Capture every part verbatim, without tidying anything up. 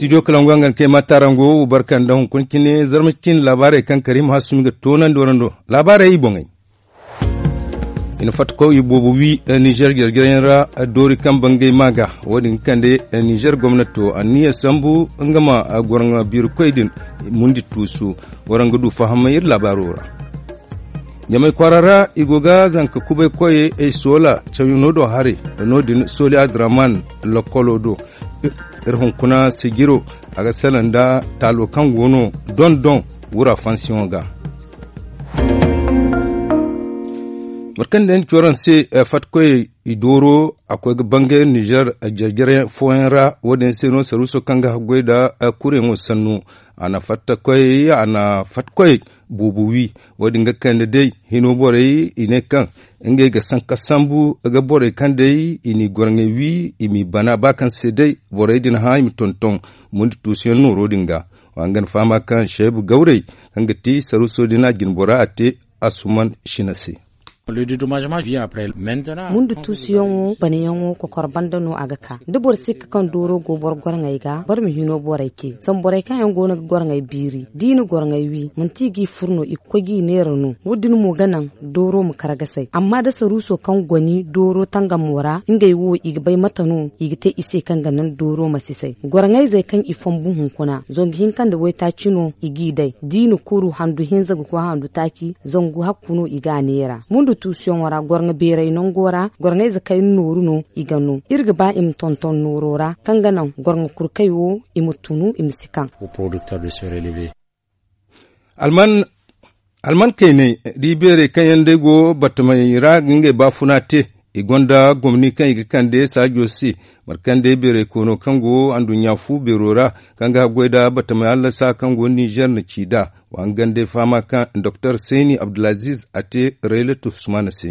Studio kalangu hangan kay ma taarango wo barka nda hunkuna cine zarma cine laabaarey kaŋ karim hasumi ga toonandi warando. Laabaarey i boŋey. I na fatta koy i boobo wi nizer jarjarayaŋ ra, doori kaŋ bangay ma ga wo- din ga kande nizer gomnato anniya sambu nga ma goro nga biiri koy din mundi tuusu. Waraŋ ga du fahamay iri laabaaro ra. Ɲamay kwaara ra i go ga zanka kubay koyey ay soola cawyaŋo do haray. No- din sooli adraman lokkolo do. Iri hunkuna sijiro a ga salaŋ nda taalo kaŋ go no doŋ-doŋ wura fansiyoŋo ga. Mate kaŋ day ni ci waraŋ se, fatta koyey i dooro a koy ga bangay nizer jarjarayaŋ fooyaŋ ra. Wo- din se no saruuso kaŋ ga haggoy nda kureyaŋo sannu a na fatta koyey a na fatta koyey boobo wi. Wo- din ga kande day hino borey i ne kaŋ ngey ga sanka sambu ga borey kaŋ day i n'i goro ngey wi i m'i bana ba kaŋ se day borey din hã i ma tonton mundi tuusuyaŋ nooro din ga. Wa nga na fahama kaŋ seebu gawrey kaŋ ga ti saruuso din a jine bora a te asuman sina se. Mundu tuusuyaŋo banayaŋo kokor banda no a ga ka da boro sikka kaŋ dooro go boro goro ngey ga boro ma hino borey ce zama borey kaŋ yaŋ go no ga goro ngey biiri da i na goro ngey wi manti i g'i fur no i ga koy g'i neera no. Wo- din mo ga naŋ dooro ma kar ga say amma da saruuso kaŋ goni dooro tangamo ra ngey wo i ga bay mate no i ga te i se kaŋ ga naŋ dooro ma si say. Goro ngayzey kaŋ i fonbu hunkuna zangu hinka nda waytaaci no i g'i day da i na kuru handu hinza ga koy handu taaci zangu hakku no i g'a neera. Mundu tuusuyaŋo ra goro nga beeray nango ra goro ngayze kayna nooru no i ga no iri ga ba i ma tonton nooro ra kaŋ ga naŋ goro nga kurkey wo i ma tunu i ma si kaŋ. Alman kayney da i beerey kaŋ yaŋ day go batamey ra ga ngey baafuna te. I gonda gomni kaŋ i ga kande saajo se mate kaŋ day beeray koono kaŋ go anduɲɲa fu beero ra kaŋ ga haggoy nda batamey hallasa kaŋ go nizer na ci nd'a. Wa nga gande fahama kaŋ doktor seyni abdulaziz a te rayla tuhsumana se.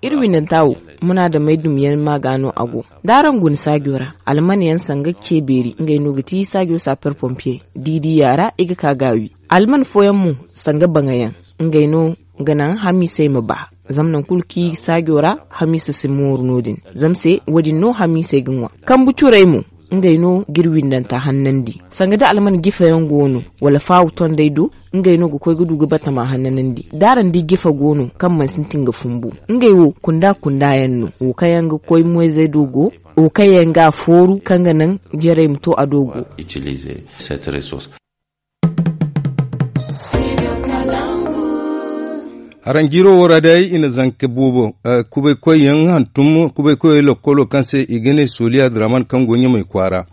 Iri windanta wo munaadamey dumyaŋ ma ga no a go da araŋ guna saajo ra alman yaŋ sanga ce beeri ngey no ga ti saajo saper pompiye da i di yaara i ga ka ga a wi. Alman fooyaŋ mo sanga baŋa yaŋ ngey no ga naŋ hamiisey ma ba zama nangu kulu kaŋ i ga saajo ra hamiisa si mooru no- din. Zama se wo- din no hamiisey ga ŋwa kambu curey mo ngey no ga iri windanta hannandi sanga da alman jifa yaŋ go no wala faawu tondey do ngey no ga koy ga du ga batama hannanandi da araŋ di jifa go no kaŋ mana sintin ga fumbu ngey wo kunda kunda yaŋ no wo kaŋ yaŋ ga koy moyzey do go wo kaŋ yaŋ ga a fooru kaŋ ga naŋ jarey ma to a do go. Haranjiiro wo ra day i na zanka boobo kubay koyyaŋ hantum kubay koyey lokkolo kaŋ se i ga ne sooli adraman kaŋ go ɲamay kwaara.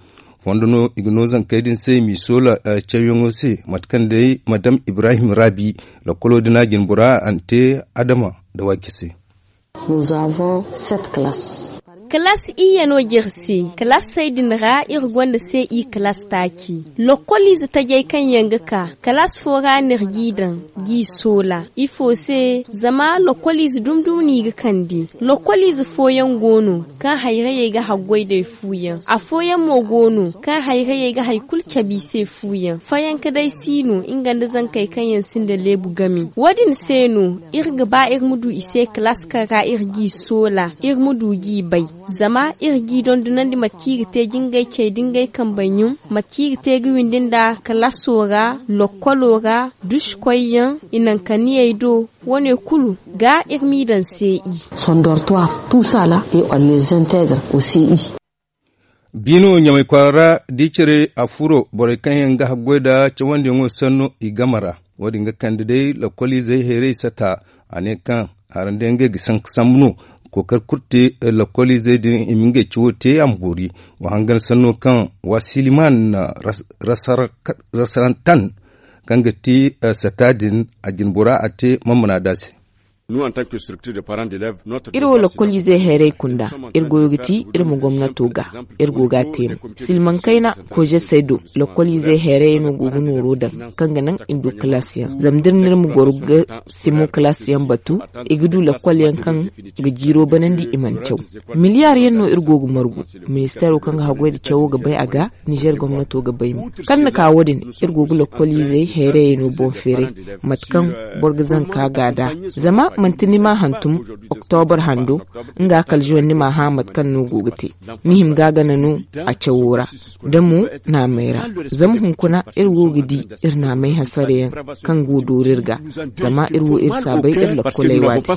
Fondo no i ga no zankey din se i m'i soola cawyaŋo se mate kaŋ day madam ibrahim raabi. Lokkolo din a jine bora a na te adama nda waaki se. Kalaas iyye no jere se kalaasey din ra iri gonda se i kalaas taaci. Lokkoliize tajey kaŋ yaŋ ga ka kalaas fo ra no iri g'i daŋ g'i soola ifo se zama lokkoliize dumi dumi no i ga kande. Lokkoliize fooyaŋ go no kaŋ hayrayey ga haggoy day fuuyaŋ afooyaŋ mo go no kaŋ hayrayey ga hari kulu cabe i se fuuyaŋ fayanka day si no nga nda zankey kaŋ yaŋ sinda leebu game. Wo- din se no iri ga ba iri ma du i se kalaas kaŋ ra iri g'i soola iri ma du g'i bay. Zama iri g'i dondonandi mate kaŋ i ga te jingay cey da ngey kambey ɲum mate kaŋ i ga te ga windi nda kalaaso ra lokkolo ra dusukoyyaŋ i nankanniyey do. Wo- ne kulu ga iri m'i daŋ se i. Sondortoir tusala et on les intègre au c i. Biino ɲamay kwaara ra da i care a furo borey kaŋ yaŋ ga haggoy nda cawandiyaŋo sanno i game ra. Wo- din ga kande day lakkoliizey hayrey sata a ne kaŋ haraŋ day ngey ga sanka sambu no. Kookari kulu te lakkoliizey din i ma ngey cawo te a ma boori. Wa hangan sanno kaŋ wasiliman rasarantan kaŋ ga ti sata din a jine bora a te manmana da se. Iri wo lakkoliizey hayrey kunda iri goyo ga ti iri ma gomnato ga iri go ga a te mo. Silmaŋ kayna koyzesey do lakkoliizey hayrey no go ga nooro daŋ kaŋ ga naŋ i ma du kalaasiyaŋ zama da iri ne iri ma goro ga simo kalaasiyaŋ batu i ga du lakkol yaŋ kaŋ ga jiiro banandi i mana caw. Miliyaar yaŋ no iri go ga margu. Ministeero kaŋ ga haggoy nda cawo ga bay a ga nizer gomnato ga bay mo kaŋ na ka wo- din iri go ga lakkoliizey hayrayey no boŋ feeray mate kaŋ boro ga zanka ga nd'a. Zama Manti ni ma hantum oktobor hando nga kala zuwan ni ma hã mate kaŋ no go ga te. Ni hima ga a gana no a cawo ra da mo naamey ra. Zama hunkuna iri wo ga di iri naamey hasarayaŋ kaŋ go doori iri ga. Zama iri wo iri saabay iri lakkoley waati.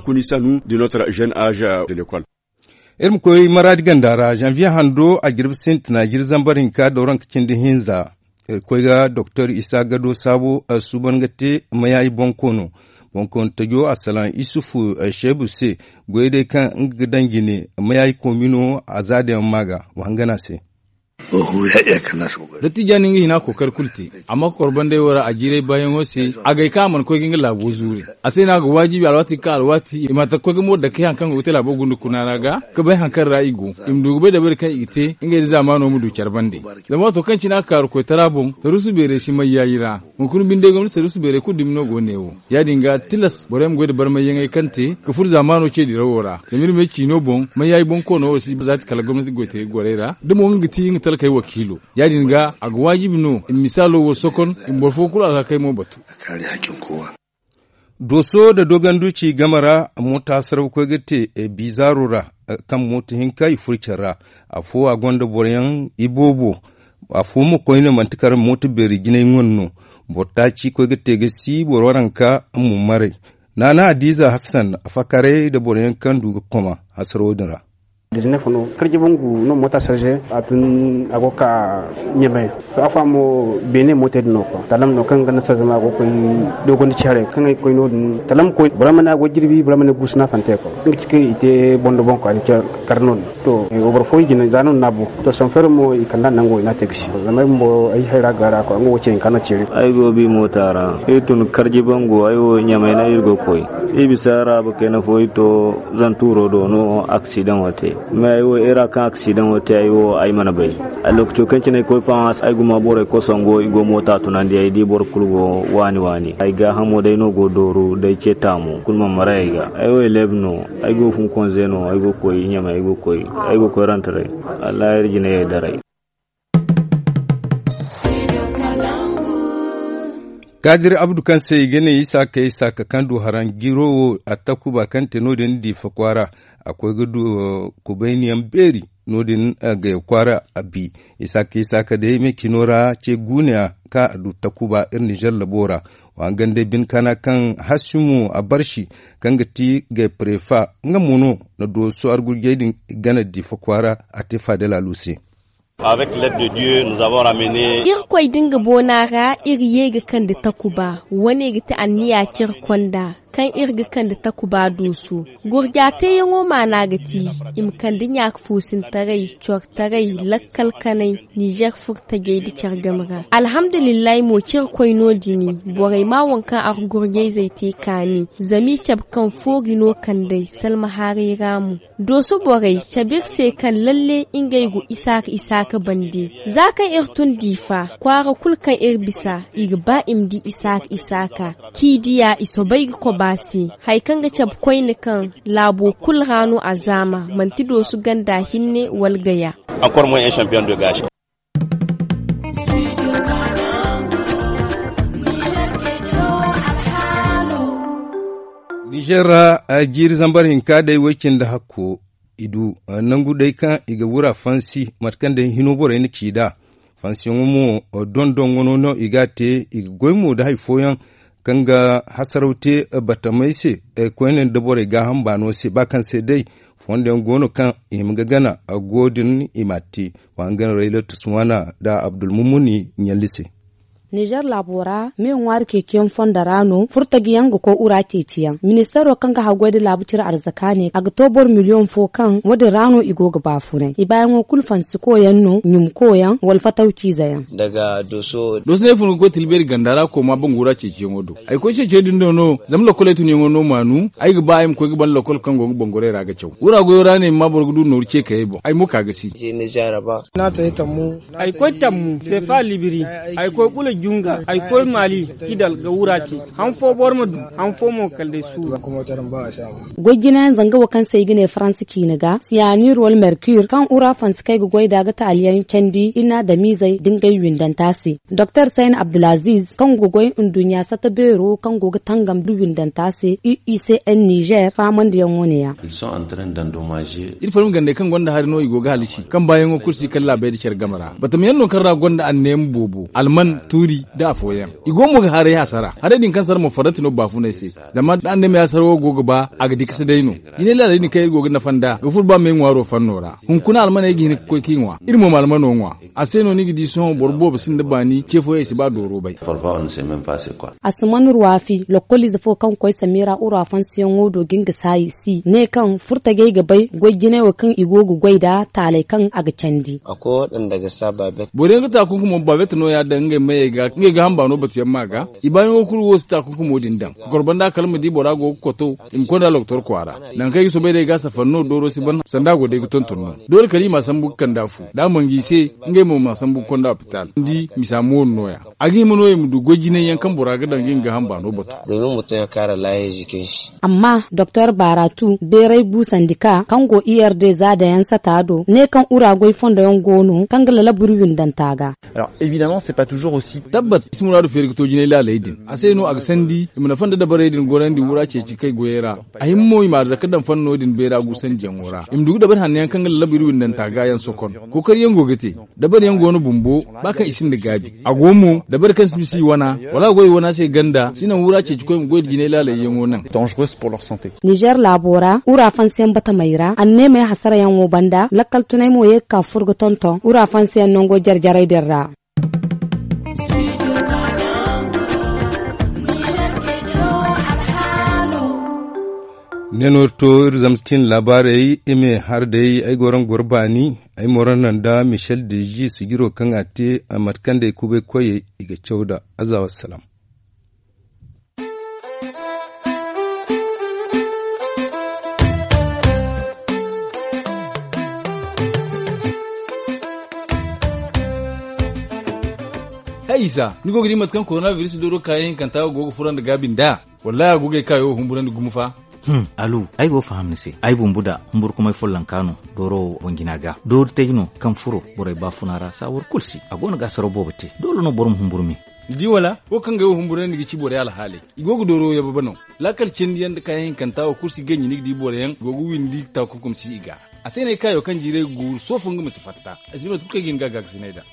Iri ma koy maraadi ganda ra zanviye hando a jirbi sintina jiri zambar hinka dooranka cindi hinza. Iri koy ga doktor isa gado saabo suuban ga te mayaayi bonkoono. Bonkoono tajo a salaŋ isufu sheebu se goyey day kaŋ nga ga daŋ jine mayaayi koomino a za dayaŋ ma ga wa hangana se. Dattijaani nga hina kookari kulu te. Amma kokor bandey wo ra a jiiray baayaŋo se a gay kaŋ a mana koy ga nga laabo zuure. A se no a ga waajibi alwaati ga ka alwaati i ma ta ga koy ga moori dake hari kaŋ go ga te laabo gunda kuna ra ga ka bay hari kaŋ ra i go. I ma du ga bay dabari kaŋ i ga te ngey da zaamaano ma du care bande. Zama waato kaŋ cine a ga kaaru koytara boŋ tarusu beerey si may yaayi ra. Hunkuna binde gomnati tarusu beerey kulu dumi no go ne wo. Ya- din ga tilas borey ma goy da barmayyaŋey kaŋ te ga furo zaamaano ce dirawo ra. Zama iri ma ay ciino boŋ may yaayi boŋ koono wo si zaati kala gomnati goytaray gorey ra da mo nga ga ti nga talkey wakiilo. Ya- din ga a ga waajibi no i ma misaalo wo sokon i ma boro fo kulu a ga kay mo batu. Dooso nda doganduci game ra moota saraw koy ga te biizaaro ra. Kaŋ moota hinka i furo care ra afo a gonda boroyaŋ iboobo. Afo mo koyne manti kala moota beeri jinay ŋun no. Boro taaci koy ga te ga si boro waranka mo maray. Naana hadiiza hassan a fakaray nda boroyaŋ kaŋ du ga koma hasarawo din ra. Karji bangu no moota sarze a tun a go ga ka ɲamay. To afa mo beene mootey din no kwa talam no kaŋ ga nasarar zama a go ga koy dogon da care kaŋ ay ga koy no- din talam koy boro ma ne a go ga jirbi boro ma ne guusu no a fante kwa. Nga ci kaŋ i te bondo boŋ kwa ni care kar no- din. To boro fooyaŋ jine za no ni n'a bu to sanfeero mo i kand'a nango i n'a te ga si zama ay bumbo ay hayra ga ra kwa nga wo ce hinka no ceeri. Ay go ga bi moota ra iri tun karji bangu ay wo ɲamay no iri go ga koy. Iri bisa ra ba kayna fo iri to zantuuro do no aksidaŋo te. Mais ay wo iri ra kaŋ aksidaŋo te ay wo ay mana bay. Lookaco kaŋ cine ay koy fahaŋ ay guma borey kosango i go moota tunandi ay di boro kulu go waani waani ay gaahamo day no go dooru day ce taamu kulu mana maray ay ga. Ay wo eleeb no ay go funkonze no ay go koy ɲamay ay go koy ay go koy rantaray. Wallahi iri jinayey daray. Kaadir abdu kaŋ se i ga ne isaaka isaaka kaŋ du haraŋ jiro wo a takuba kaŋ te no- din diifa kwaara. A koy ga du kubayniyaŋ beeri no- din gaya kwaara a bi. Isaaka isaaka day me cino ra ce guuneya kaŋ a du takuba iri nizer labo ra. Wa hangan day bine kaana kaŋ hasimu a barsi kaŋ ga ti gaya parefa nga mo no na dooso argurjey din gana diifa kwaara a te faadalaalu se. Irkoy da nga boona ra iri ye ga kande takuba wane ga ti anniya care konda kaŋ iri ga kande takuba dooso. Gurja teeyaŋo maana ga ti i ma kande ɲaaka foosintaray cortaray lakkal kanay nizer furtajey nda care game ra. Alhamdulillahi mo cirkoy no- din borey ma waŋ kaŋ argurjayzey te kaani zama i cabe kaŋ foori no kand'ey salma haaray ra mo. Dooso borey cabe iri se kaŋ lalle ngey go isaaka isaaka bande. Za kaŋ iri tun diifa kwaara kulu kaŋ iri bisa i ga ba i ma di isaaka isaaka. K'i diya i soobay ga koba se. Hari kaŋ ga cabe koyne kaŋ laabo kulu ra no a zaama manti dooso ganda hinne wala gaya. Nizer ra jiiri zambar hinka day woy cindi hakko i du nangu day kaŋ i ga wura fansi mate kaŋ day hino borey na ci nd'a. Fansiyaŋo mo dondon wano no i ga a te i ga goy mo nda hari fooyaŋ kaŋ ga hasaraw te batamey se. Koyne nda borey gaaham baano se ba kaŋ se day fondo yaŋ go no kaŋ i hima ga gana go din i m'a te. Wa hangan rayla tusmaana nda abdulmumuni ɲalli se. Nizer laabo ra me ŋwaari ceeciyaŋ fondo ra no furtaji yaŋ ga koy wura ceeciyaŋ ministeero kaŋ ga haggoy nda laabu cire arzaka ne a ga to boro miliyoŋ fo kaŋ wo- din ra no i go ga baafunay i baayaŋo kulu fansiko yaŋ no ɲumko yaŋ wala fataw ciize yaŋ. Dooso no ay fun ga koy tilbeeri ganda ra kooma bangu ra ceeciyaŋo do. Ay koy ceeciyaŋ din do no zama lokol ay tunyaŋo no maanu ay ga ba ay ma koy ga ban lokol kaŋ go ga bangorey ra ga caw wura goyo ra no ay ma ma boro ga du nooru ce kayey boŋ ay mo ka ga si. Ay koy tammu seefa libiri. Ay koy bula. Junga ay koy maali, kidal ga wura ce. Han fo boro ma du, han fo mo kala day suuru. Goy jinayaŋ zanga wo kaŋ se i ga ne faransa ciina ga siyanir wala merkir kaŋ ura fansi kaŋ ay ga goy nd'a ga taaliyaŋ candi i n'a damiizey da ngey windanta se. Doktor sayn abdulaziz kaŋ go ga goy nduɲɲa satta beero kaŋ go ga tangam da windanta se u i se en nizer faamandiyaŋo ne- ya. Iri fo ma gandey kaŋ gonda hari no i go ga halasi kaŋ baayaŋo kulu si kala laabey nda care game ra batam yaŋ no kaŋ ra gonda anneema boobo alman tuuri, nda afooyaŋ i go mo ga haray hasara haray din kaŋ sara mo farrati no baafunay se. Zama da anneema yaasara wo go ga ba a ga dikasi day no. Jinay laaley din kaŋ iri go ga nafa nd'a ga furo ba me ŋwaaro fanno ra. Hunkuna almaney ga hin ga koy k'i ŋwa iri mo ma almano ŋwa. A se no ni ga di sohõ boro boobo sinda baani ce fooyaŋ i si ba dooro bay. A si man ruwaafi lokkoliize fo kaŋ ga koy samira ura fansiyaŋo do ga nga saayi si ne kaŋ furtajey ga bay goy jinay wo kaŋ i go ga goy nd'a taaley kaŋ a ga candi. Boro yaŋ ga taakunkumo baabet no- ya daŋ ngey mayey ga ngey ga hamba no batu yaŋ ma ga. I baayaŋo kulu wo si taakunkumo din daŋ kokor banda kala ma di bora go ga koto i ma konda loktor kwaara. Nangu kaŋ ay ga soobay day ga safari no dooro si ban sanda a go day ga tonton no. Doole kala i m'a sambu ga kand'a fu da a mana ga i se. Ngey mo m'a sambu ga konda opitaal ni di misa mo wo- din no- ya. A ga hima no i ma du goy jinay yaŋ kaŋ bora ga daŋ ga i ma ga hamba no batu. Amma doktor baaratu beeray buusandi ka kaŋ go i r d za dayaŋ sata do ne kaŋ ura goy fondo yaŋ go no kaŋ ga lalabu iri windanta ga. Tabbat i si muraadu feeri ga to jinay laaley din a se no a ga sandi i ma nafa nda dabarey din gorandi wura ceeci kay goyey ra. A hima mo i ma arzaka daŋ fanno din beera guusandiyaŋo ra i ma du ga dabari hanno yaŋ kaŋ ga lalabu iri windanta ga yaŋ sokon. Kookariyaŋ go ga te dabari yaŋ go no bumbo ba kaŋ i sinda gaabi. A go mo dabari kaŋ si bisa i wana wala a go i wana se ganda si naŋ wura ceeci koy ma goy nda jinay laalayyaŋo naŋ. Nizer laabo ra ura fansiyaŋ batamey ra anneemey hasarayaŋo banda lakkal tunay mo ye ga ka furo ga tonton ura fansiyaŋ nango jare jarey din ra. Ne no iri to iri zama cin laabaarey i ma har day ay goro nga goro baani. Ay moro naŋ nda michel deji sijiro kaŋ a te a mate kaŋ day kubay koyey i ga caw da aza wassalam. Hay isa ni go ga di mate kaŋ korona biris dooro kaayaŋ hinkanta go ga furo nda gaabi nd'a? Wallahi a go ga ay kaayo humburandi gumo fa. Alu ay go ga faham ni se ay bumbu da humburkumay follonka no. Dooro wo boŋ jina ga doori taji no kaŋ furo borey baafuna ra saawar kulu se a go no ga saraw boobo te doole no boro ma humburu me. Ni di wala wo kaŋ ga ay wo humburandi ga ci borey alhaaley i go ga dooro yababe no. Laakal cindiyaŋ nda kaayaŋ hinkanta wo kulu si ganji ni ga di boroyaŋ go ga windi taakunkum si i ga. A se no ay kaayo kaŋ jiiray ga guuru soofo nga ma si fatta. Ay si di mate kulu kaŋ ay ga hin ga a gaakasinay nd'a.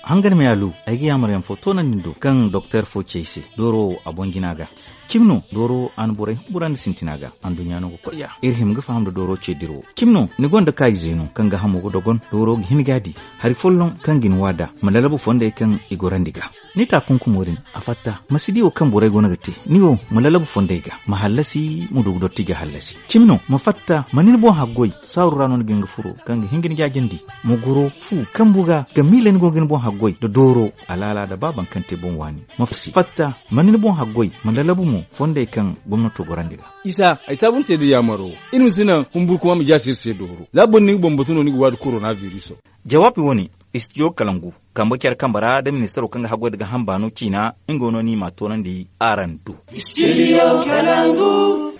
Hangan me alu ay ga yaamaryaŋ fo toonandi ni do kaŋ doktor fo ci ay se dooro wo a boŋ jina ga. Cimi no dooro wo a na borey humburandi sintina ga anduɲɲa no ga koy ya iri hima ga faham nda dooro ce dirawo. Cimi no ni gonda kaayize no kaŋ ga hamo ga dogon dooro ga hin ga a di hari folloŋ kaŋ ga ni waada ma lalabu fondey kaŋ i gorandi ga. Ni taakunkumo din a fatta ma si di wo kaŋ borey go no ga te ni wo ma lalabu fondey ga ma hallasi ma du ga dotti ga hallasi. Cimi no ma fatta ma ni ni boŋ haggoy saaru ra no ni ga hin ga furo kaŋ ga hin ga ni jaajandi. Ma goro fu kambu ga ga miila ni go ga ni boŋ haggoy nda dooro alaala nda ba baŋ kaŋ te boŋ waani. Ma fatta ma ni ni boŋ haggoy ma lalabu mo fondey kaŋ gomnato gorandi ga. Isa ay saabu ni se da yaamaro iri ma si naŋ humburkuma ma jaasi iri se dooro za boro ni ga bambatu no ni ga waadi korona biriso. Jawaabi wo- ne istidiyo kalangu kambe care kambe ra nda ministaro kaŋ ga haggoy nda ga hamba no ciina nga wo no ni m'a toonandi araŋ do. Istidiyo kalangu.